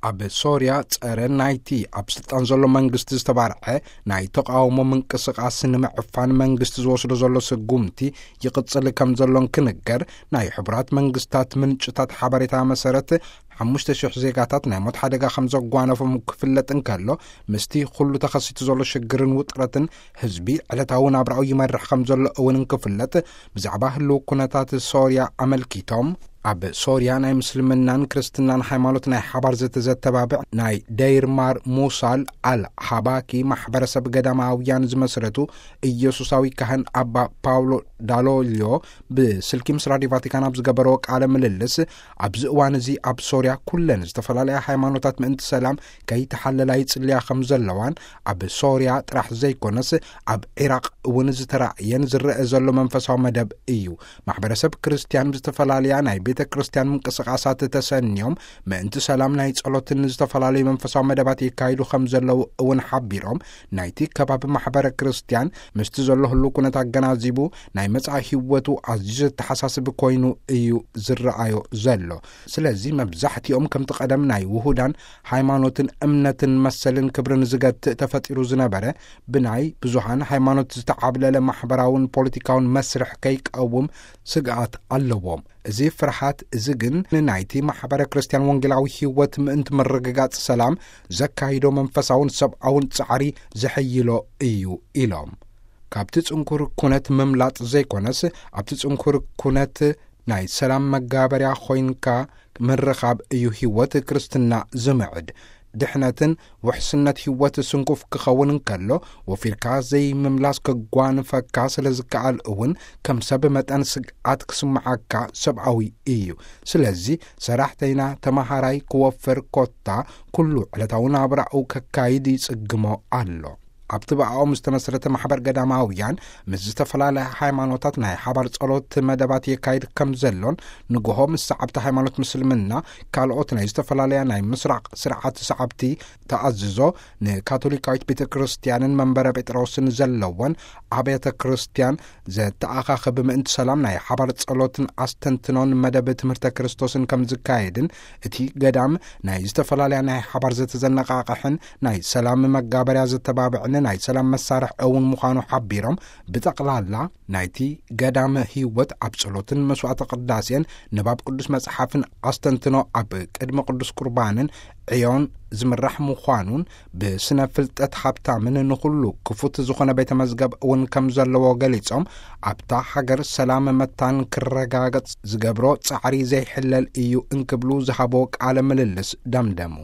ኣብ ሶርያ ጸረ ናይቲ ኣብ ስልጣን ዘሎ መንግስቲ ዝተባርዐ ናይ ተቃውሞ ምንቅስቃስ ንምዕፋን መንግስቲ ዝወስዶ ዘሎ ስጉምቲ ይቕጽል ከም ዘሎን ክንገር፣ ናይ ሕቡራት መንግስታት ምንጭታት ሓበሬታ መሰረት ሓሙሽተ ሽሕ ዜጋታት ናይ ሞት ሓደጋ ከም ዘጓነፎም ክፍለጥ እንከሎ፣ ምስቲ ኩሉ ተኸሲቱ ዘሎ ሽግርን ውጥረትን ህዝቢ ዕለታዊ ናብራኡ ይመርሕ ከም ዘሎ እውን እንክፍለጥ፣ ብዛዕባ ህልው ኩነታት ሶርያ ኣመልኪቶም፣ ኣብ ሶርያ ናይ ምስልምናን ክርስትናን ሃይማኖት ናይ ሓባር ዘተዘተባብዕ ናይ ደይር ማር ሙሳል ኣል ሃባኪ ማሕበረሰብ ገዳማውያን ዝመስረቱ ኢየሱሳዊ ካህን ኣባ ፓውሎ ዳሎልዮ ብስልኪ ምስ ራዲዮ ቫቲካን ኣብ ዝገበረዎ ቃለ ምልልስ፣ ኣብዚ እዋን እዚ ኣብ ሶርያ ኩለን ዝተፈላለያ ሃይማኖታት ምእንቲ ሰላም ከይተሓለላ ይጽልያ ከም ዘለዋን፣ ኣብ ሶርያ ጥራሕ ዘይኮነስ ኣብ ዒራቕ እውን ዝተራእየን ዝረአ ዘሎ መንፈሳዊ መደብ እዩ። ማሕበረሰብ ክርስትያን ብዝተፈላለያ ናይ ቤተ ክርስትያን ምንቅስቃሳት ተሰንዮም ምእንቲ ሰላም ናይ ጸሎትን ዝተፈላለዩ መንፈሳዊ መደባት የካይዱ ከም ዘለዉ እውን ሓቢሮም፣ ናይቲ ከባቢ ማሕበረ ክርስትያን ምስቲ ዘሎ ህሉ ኩነት ኣገናዚቡ ናይ መጻኢ ህይወቱ ኣዝዩ ዘተሓሳስብ ኮይኑ እዩ ዝረኣዮ ዘሎ። ስለዚ መብዛሕትኦም ከምቲ ቀደም ናይ ውሁዳን ሃይማኖትን እምነትን መሰልን ክብርን ዝገትእ ተፈጢሩ ዝነበረ፣ ብናይ ብዙሃን ሃይማኖት ዝተዓብለለ ማሕበራውን ፖለቲካውን መስርሕ ከይቀውም ስግኣት ኣለዎም። እዚ ፍርሃት እዚ ግን ንናይቲ ማሕበረ ክርስትያን ወንጌላዊ ህይወት ምእንቲ ምርግጋጽ ሰላም ዘካይዶ መንፈሳውን ሰብኣውን ጻዕሪ ዘሐይሎ እዩ ኢሎም። ካብቲ ጽንኩር ኩነት ምምላጥ ዘይኮነስ፣ ኣብቲ ጽንኩር ኩነት ናይ ሰላም መጋበርያ ኮይንካ ምርኻብ እዩ ህይወት ክርስትና ዝምዕድ። ድሕነትን ውሕስነት ህይወት ስንኩፍ ክኸውን እንከሎ፣ ወፊርካ ዘይምምላስ ክጓንፈካ ስለ ዝከኣል እውን፣ ከም ሰብ መጠን ስግኣት ክስምዓካ ሰብኣዊ እዩ። ስለዚ ሰራሕተይና ተማሃራይ ክወፍር ኮታ ኩሉ ዕለታዊ ናብራኡ ከካይድ ይጽግሞ ኣሎ። ኣብቲ ብኣኦም ዝተመስረተ ማሕበር ገዳማውያን ምስ ዝተፈላለያ ሃይማኖታት ናይ ሓባር ጸሎት መደባት የካይድ ከም ዘሎን፣ ንግሆ ምስ ሰዓብቲ ሃይማኖት ምስልምና ካልኦት ናይ ዝተፈላለያ ናይ ምስራቕ ስርዓት ሰዓብቲ ተኣዝዞ ንካቶሊካዊት ቤተ ክርስትያንን መንበረ ጴጥሮስን ዘለወን ኣብያተ ክርስትያን ዘተኣኻኽብ ምእንቲ ሰላም ናይ ሓባር ጸሎትን ኣስተንትኖን መደብ ትምህርተ ክርስቶስን ከም ዝካየድን፣ እቲ ገዳም ናይ ዝተፈላለያ ናይ ሓባር ዘተዘነቃቕሕን ናይ ሰላም መጋበርያ ዘተባብዕን ናይ ሰላም መሳርሒ እውን ምዃኑ ሓቢሮም፣ ብጠቕላላ ናይቲ ገዳም ህይወት ኣብ ጸሎትን መስዋዕተ ቅዳሴን ንባብ ቅዱስ መጽሓፍን ኣስተንትኖ ኣብ ቅድሚ ቅዱስ ቁርባንን ዕዮን ዝምራሕ ምዃኑን፣ ብስነ ፍልጠት ሃብታምን ንኹሉ ክፉት ዝኾነ ቤተ መዝገብ እውን ከም ዘለዎ ገሊጾም፣ ኣብታ ሃገር ሰላም መታን ክረጋገጽ ዝገብሮ ጻዕሪ ዘይሕለል እዩ እንክብሉ ዝሃቦ ቃለ ምልልስ ደምደሙ።